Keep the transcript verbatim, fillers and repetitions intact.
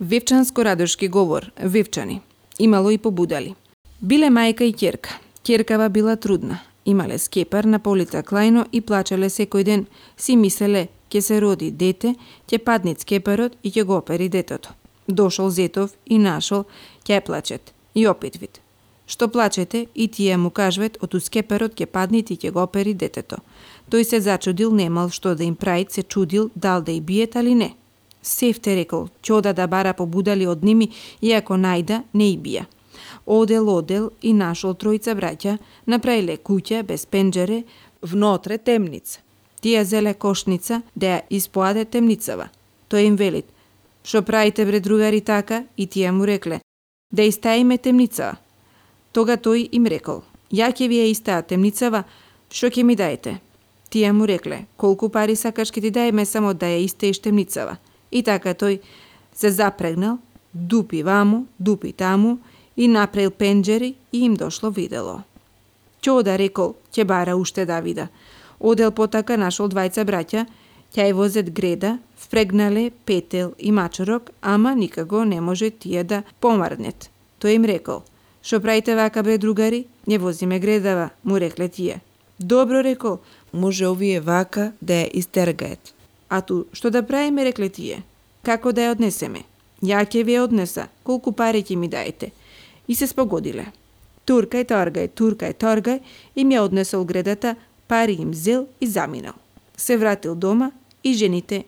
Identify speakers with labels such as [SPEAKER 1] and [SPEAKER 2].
[SPEAKER 1] Вевчанско-радошки говор, вевчани. Имало и побудали. Биле мајка и ќерка. Ќеркава била трудна. Имале скепар на полица Клајно и плачеле секој ден. Си мислеле, ќе се роди дете, ќе падне скепарот и ќе го опери детето. Дошол зетов и нашол, ќе плачет. И опит вид. Што плачете и тие му кажвет, оту скепарот ќе падне и ќе го опери детето. Тој се зачудил, немал што да им прави, се чудил дал да и биет али не. Севте рекол, ќе ода да бара побудали од ними, иако најда не и бија. Одел, одел и нашол тројца браќа, направиле куќа без пенџере, внотре темница. Тие зеле кошница да ја испоаде темницава. Тој им велит, шо правите бре другари така? И тие му рекле, да истаиме темницава. Тога тој им рекол, ја ќе ви ја истаа темницава, шо ќе ми даете? Тие му рекле, колку пари сакаш ќе ти даеме само да ја истеиш темницава. И така тој се запрегнал, дупи ваму, дупи таму и направил пенџери и им дошло видело. Ќода рекол, ќе бара уште да вида. Одел потака нашол двајца браќа, ќе ја возет греда, впрегнале петел и мачорок, ама никако не може тие да помарнет. Тој им рекол, шо правите вака бре другари, не возиме гредава, му рекле тие. Добро рекол, може овие вака да ја истергаат. А ту, што да правиме, рекле тие? Како да ја однесеме? Ја ќе ви ја однеса, колку пари ќе ми даете? И се спогодиле. Туркај, торгај, туркај, торгај, им ја однесол гредата, пари им зел и заминал. Се вратил дома и жените